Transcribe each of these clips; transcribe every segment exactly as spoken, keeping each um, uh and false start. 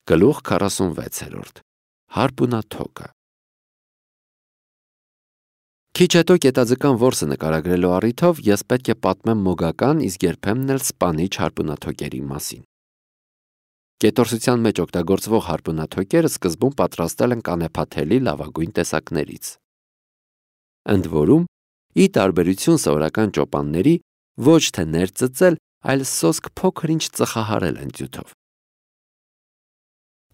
Գլուխ քառասունվեցերորդ Հարպունաթոկը Քիչ հետո կետաձկան որսը նկարագրելու առիթով ես պետք է պատմեմ մոգական, իսկ երբեմն էլ սպանիչ հարպունաթոկերի մասին։ Կետորսության մեջ օգտագործվող հարպունաթոկերը սկզբում պատրաստել են կանեփաթելի լավագույն տեսակներից։ Ընդ որում, ի տարբերություն սովորական ճոպանների, ոչ թե ներծծել, այլ սոսկ փոքր-ինչ ծխահարել են ձյութով։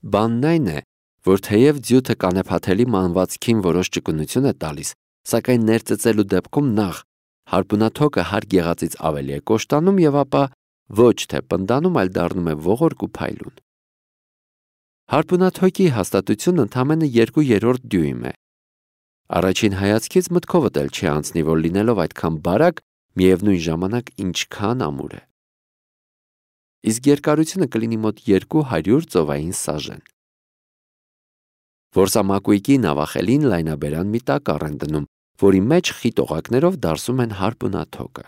Բանն այն է, որ թեև ձյութը կանեփաթելի մանվածքին որոշ ճկունություն է տալիս, սակայն ներծծելու դեպքում նախ հարպունաթոկը հարկ եղածից ավելի է կոշտանում և ապա ոչ թե պնդանում, այլ դառնում է ողորկ ու փայլուն։ Հարպունաթոկի հաստատությունը ընդամենը երկու երրորդ դյույմ է։ Առաջին հայացքից մտքովդ էլ չի անցնի, որ լինելով այդքան բարակ, միևնույն ժամանակ ինչքան ամուր է։ Իսկ երկարությունը կլինի մոտ երկու հարյուր ծովային սաժեն։ Որսամակույկի նավախելին լայնաբերան մի տակառ են դնում, որի մեջ խիտ օղակներով դարսում են հարպունաթոկը։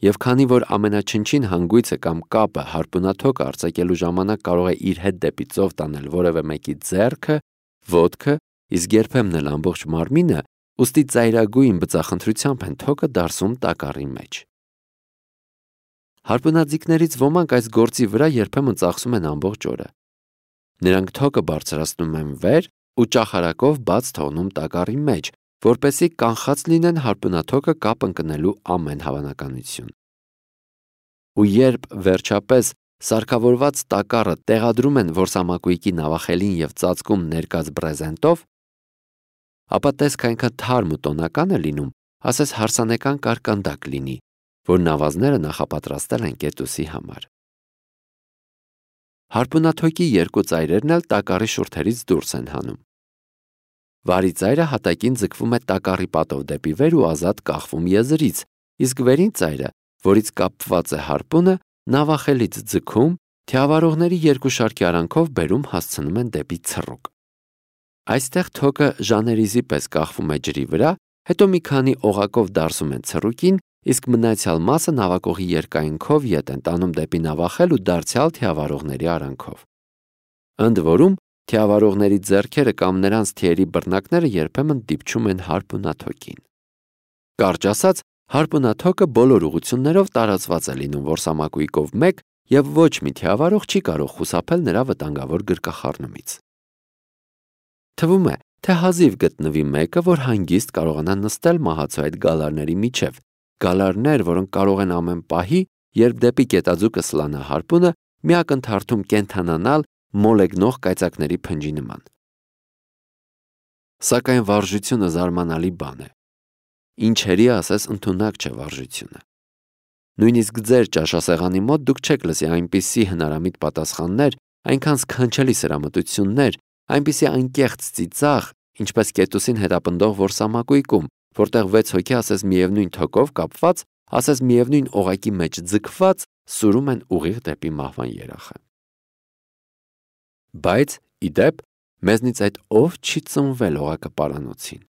Եվ քանի որ ամենաչնչին հանգույցը կամ կապը հարպունաթոկը արձակելու ժամանակ կարող է իր հետ դեպի ծով տանել որևէ մեկի ձեռքը, ոտքը, իսկ երբեմն էլ ամբողջ մարմինը, ուստի ծայրագույն բծախնդրությամբ են թոկը դարսում տակառի մեջ։ Հարպունաձիգներից ոմանք այս գործի վրա երբեմն ծախսում են ամբողջ օրը։ Նրանք թոկը բարձրացնում են վեր ու ճախարակով բաց թողնում տակառի մեջ, որպեսզի կանխած լինեն հարպունաթոկը կապ ընկնելու ամեն հավանականություն։ Ու երբ վերջապես սարքավորված տակառը տեղադրում են որսամակույկի նավախելին և ծածկում ներկած բրեզենտով, ապա տեսք այնքան թարմ ու տոնական է լինում, ասես հարսանեկան կարկանդակ լինի, որ նավազները նախապատրաստել են կետուսի համար։ Հարպունաթոկի երկու ծայրերն էլ տակառի շուրթերից դուրս են հանում։ Վարի ծայրը հատակին ձգվում է տակառի պատով դեպի վեր ու ազատ կախվում եզրից, իսկ վերին ծայրը, որից կապված է հարպունը, նավախելից ձգում, թիավարողների երկու շարքի արանքով բերում հասցնում են դեպի ցռուկ։ Այստեղ թոկը ժաներիզի պես կախվում է ջրի վրա, հետո մի քանի օղակով դարսում են ցռուկին, իսկ մնացյալ մասը նավակողի երկայնքով ետ են տանում դեպի նավախել ու դարձյալ թիավարողների արանքով։ Ընդ որում, թիավարողների ձեռքերը կամ նրանց թիերի բռնակները երբեմն դիպչում են հարպունաթոկին։ Կարճ ասած, հարպունաթոկը բոլոր ուղղություններով տարածված է լինում որսամակույկով մեկ և ոչ մի թիավարող չի կարող խուսափել նրա վտանգավոր գրկախառնումից։ Թվում է, թե հազիվ գտնվի մեկը, որ հանգիստ կարողանա նստել մահացու այդ գալարների միջև, գալարներ, որոնք կարող են ամեն պահի, երբ դեպի կետաձուկը սլանա հարպունը, մի ակնթարթում կենդանանալ մոլեգնող կայծակների փնջի նման։ Սակայն վարժությունը զարմանալի բան է։ Ինչերի ասես ընդունակ չէ վարժությունը։ Նույնիսկ ձեր ճաշասեղանի մոտ դուք չեք լսի այնպիսի հնարամիտ պատասխաններ, այնքան սքանչելի սրամտություններ, այնպիսի անկեղծ ծիծաղ, ինչպես կետուսին հետապնդող որսամակույկում, որտեղ վեց հոգի ասես միևնույն թոկով կապված, ասես միևնույն օղակի մեջ ձգված, սուրում են ուղիղ դեպի մահվան երախը։ Բայց, ի դեպ, մեզնից այդ ով չի ծնվել օղակը պարանոցին։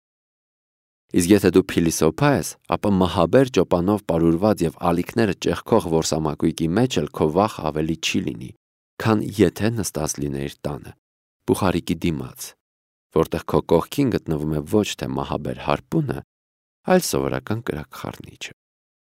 Իսկ եթե դու փիլիսոփա ես, ապա մահաբեր ճոպանով պարուրված և ալիքները ճեղքող որսամակույկի մեջ էլ քո վախ ավելի չի լինի, քան եթե նստած լինեիր տանը, բուխարիկի դիմաց, որտեղ քո կողքին գտնվում է ոչ թե մահաբեր հարպունը, այլ սովորական կրակխառնիչը։